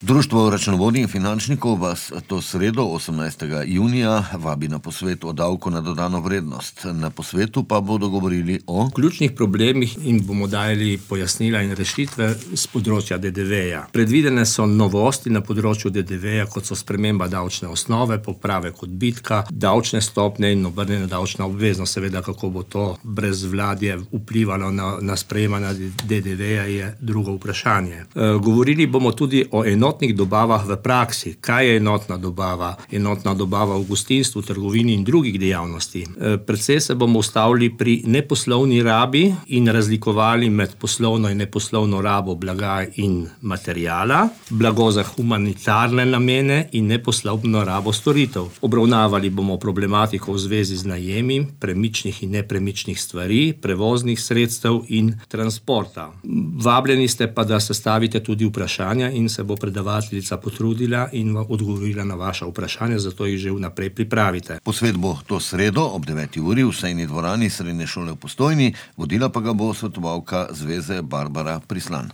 Društvo računovodij in finančnikov vas to sredo, 18. junija, vabi na posvet o davku na dodano vrednost. Na posvetu pa bodo govorili o ključnih problemih in bomo dali pojasnila in rešitve z področja DDV-ja. Predvidene so novosti na področju DDV-ja, kot so sprememba davčne osnove, popravek odbitka, davčne stopnje in obrnjena davčna obveznost. Seveda, kako bo to brezvladje vplivalo na sprejemanje DDV-ja, je drugo vprašanje. Govorili bomo tudi o enotnih dobavah v praksi. Kaj je enotna dobava? Enotna dobava v gostinstvu, trgovini in drugih dejavnosti. Predvsej se bomo ustavili pri neposlovni rabi in razlikovali med poslovno in neposlovno rabo blaga in materijala, blago za humanitarne namene in neposlovno rabo storitev. Obravnavali bomo problematiko v zvezi z najemi premičnih in nepremičnih stvari, prevoznih sredstev in transporta. Vabljeni ste pa, da sestavite tudi vprašanja in se bo predavateljica potrudila in odgovorila na vaša vprašanja, zato jih že vnaprej pripravite. Posvet bo to sredo ob 9. uri v sejni dvorani Srednje šole v Postojni, vodila pa ga bo svetovalka Zveze Barbara Prislan.